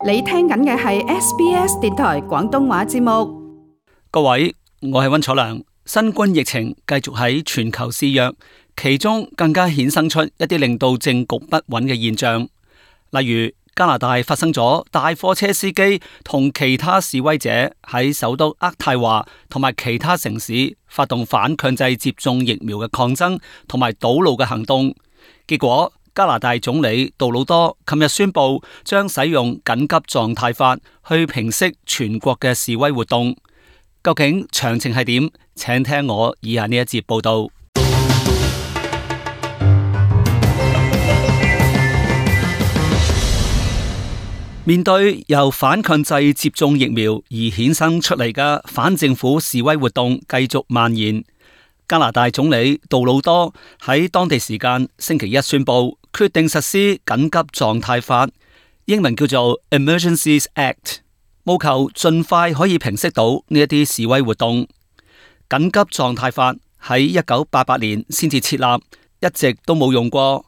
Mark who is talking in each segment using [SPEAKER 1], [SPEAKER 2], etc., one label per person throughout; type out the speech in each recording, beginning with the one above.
[SPEAKER 1] 你聽緊嘅係 SBS 電台廣東話節目。
[SPEAKER 2] 各位，我係溫楚良。新冠疫情繼續喺全球肆虐，其中更加衍生出一啲令到政局不穩嘅現象。例如加拿大發生咗大貨車司機同其他示威者喺首都渥太華同埋其他城市發動反強制接種疫苗嘅抗爭同埋堵路嘅行動，結果加拿大總理杜魯多琴日宣布將使用緊急狀態法去平息全國嘅示威活動。究竟詳情係點？請聽我以下呢一節報道。面對由反強制接種疫苗而衍生出嚟嘅反政府示威活動繼續蔓延，加拿大總理杜魯多喺當地時間星期一宣布，決定實施緊急狀態法，英文叫做 Emergencies Act， 務求盡快可以平息到呢一啲示威活動。緊急狀態法喺1988年先至設立，一直都冇用過。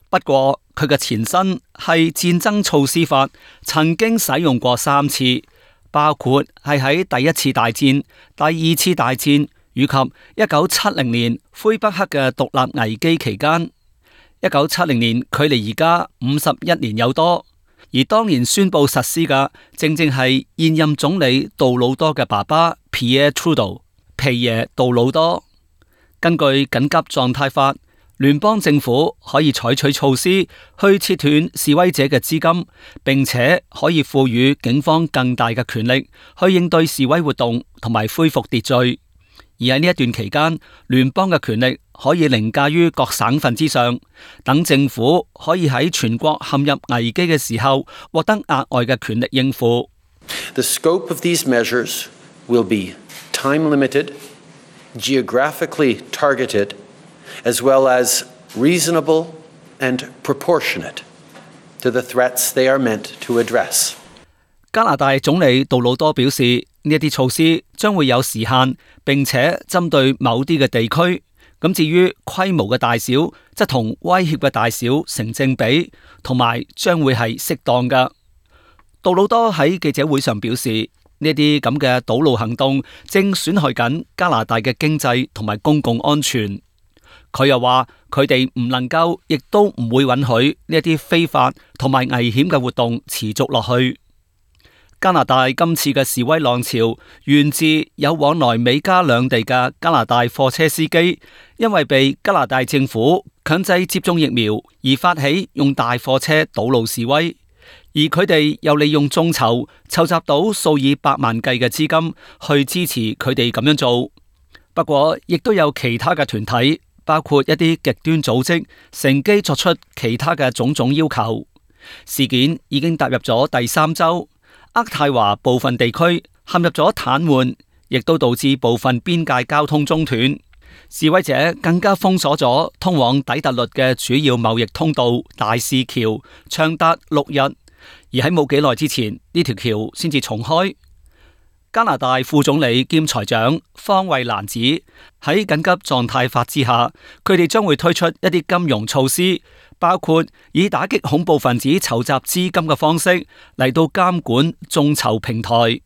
[SPEAKER 2] 不過佢嘅前身係戰爭措施法，曾經使用過3次，包括係喺第一次大戰、第二次大戰以及1970年魁北克嘅獨立危機期間。1970年距離而家51年有多，而當年宣布實施嘅正正係現任總理杜魯多嘅爸爸 Pierre Trudeau 皮爺杜魯多。根據緊急狀態法，聯邦政府可以採取措施去切斷示威者嘅資金，並且可以賦予警方更大嘅權力去應對示威活動同埋恢復秩序。而喺呢一段期間，聯邦嘅權力可以凌駕於各省份之上，等政府可以喺全國陷入危機嘅時候獲得額外嘅權力應付。
[SPEAKER 3] The scope of these measures will be time-limited, geographically targeted, as well as reasonable and proportionate to the threats they are meant to address.
[SPEAKER 2] 加拿大總理杜魯多表示，呢一啲措施將會有時限，並且針對某啲嘅地區。咁至於規模嘅大小，則同威脅嘅大小成正比，同埋將會係適當㗎。杜魯多喺記者會上表示，呢啲咁嘅堵路行動正損害緊加拿大嘅經濟同埋公共安全。佢又話，佢哋唔能夠，亦都唔會允許呢一啲非法同埋危險嘅活動持續落去。加拿大今次嘅示威浪潮源自有往來美加兩地嘅加拿大貨車司機，因為被加拿大政府強制接種疫苗而發起用大貨車堵路示威，而佢哋又利用眾籌籌集到數以百萬計嘅資金去支持佢哋咁樣做。不過，亦都有其他嘅團體，包括一啲極端組織，乘機作出其他嘅種種要求。事件已經踏入咗第3週。渥太華部分地區陷入咗癱瘓，亦都導致部分邊界交通中斷。示威者更加封鎖咗通往底特律嘅主要貿易通道大使橋，長達6日。而喺冇幾耐之前，呢條橋先至重開。加拿大副總理兼財長方慧蘭指，喺緊急狀態法之下，佢哋將會推出一啲金融措施，包括以打擊恐怖分子籌集資金嘅方式嚟到監管眾籌平台。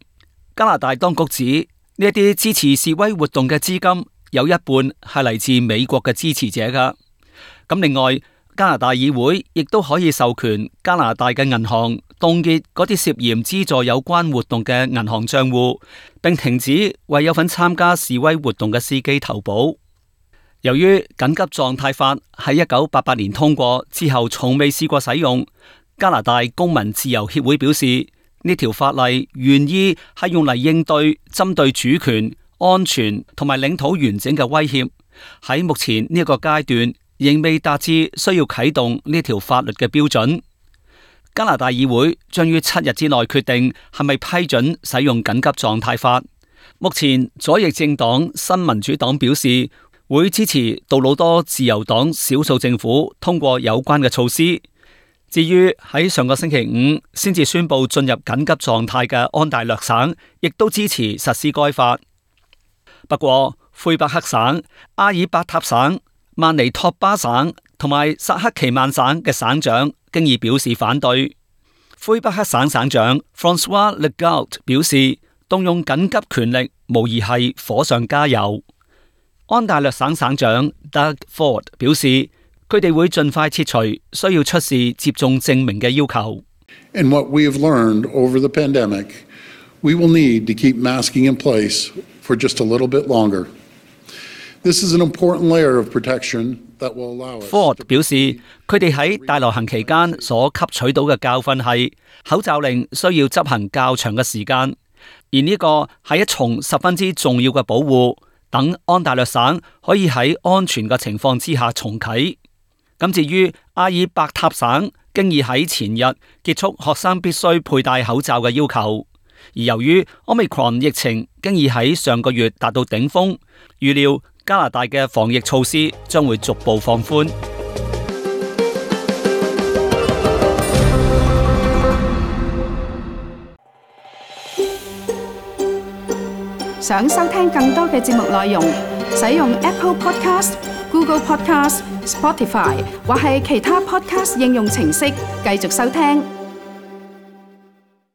[SPEAKER 2] 加拿大當局指，呢一啲支持示威活動嘅資金有一半係嚟自美國嘅支持者噶。咁另外，加拿大議會亦都可以授權加拿大嘅銀行凍結嗰啲涉嫌資助有關活動嘅銀行賬戶，並停止為有份參加示威活動嘅司機投保。由於緊急狀態法喺1988年通過之後，從未試過使用，加拿大公民自由協會表示，呢條法例原意係用嚟應對針對主權、安全同埋領土完整嘅威脅。喺目前呢一個階段，仍未達至需要啟動呢條法律嘅標準。加拿大議會將於7日之內決定係咪批准使用緊急狀態法。目前左翼政黨新民主黨表示會支持杜魯多自由黨少數政府通過有關嘅措施。至於喺上個星期5先至宣布進入緊急狀態嘅安大略省，亦都支持實施該法。不過，魁北克省、阿爾伯塔省、曼尼托巴省同埋薩克奇曼省嘅省長經已表示反對。魁北克省省長 François Legault 表示，動用緊急權力無疑係火上加油。安大略省省長 Doug Ford 表示，佢哋會盡快撤除需要出示接種證明嘅要求。
[SPEAKER 4] And what we have learned over the pandemic, we will need to keep masking in place for just a little bit longer. This is an important layer of protection that will allow us.
[SPEAKER 2] Ford 表示，佢哋喺大流行期間所吸取到嘅教訓係，口罩令需要執行較長嘅時間，而呢個係一重十分之重要嘅保護，等安大略省可以喺安全嘅情況之下重啟。咁至於阿爾伯塔省，經已喺前日結束學生必須佩戴口罩嘅要求，而由於 Omicron 疫情經已喺上個月達到頂峰，預料加拿大嘅防疫措施將會逐步放寬。
[SPEAKER 1] 想收聽更多嘅節目內容，使用 Apple Podcast、Google Podcast、Spotify 或係其他 Podcast 應用程式繼續收聽。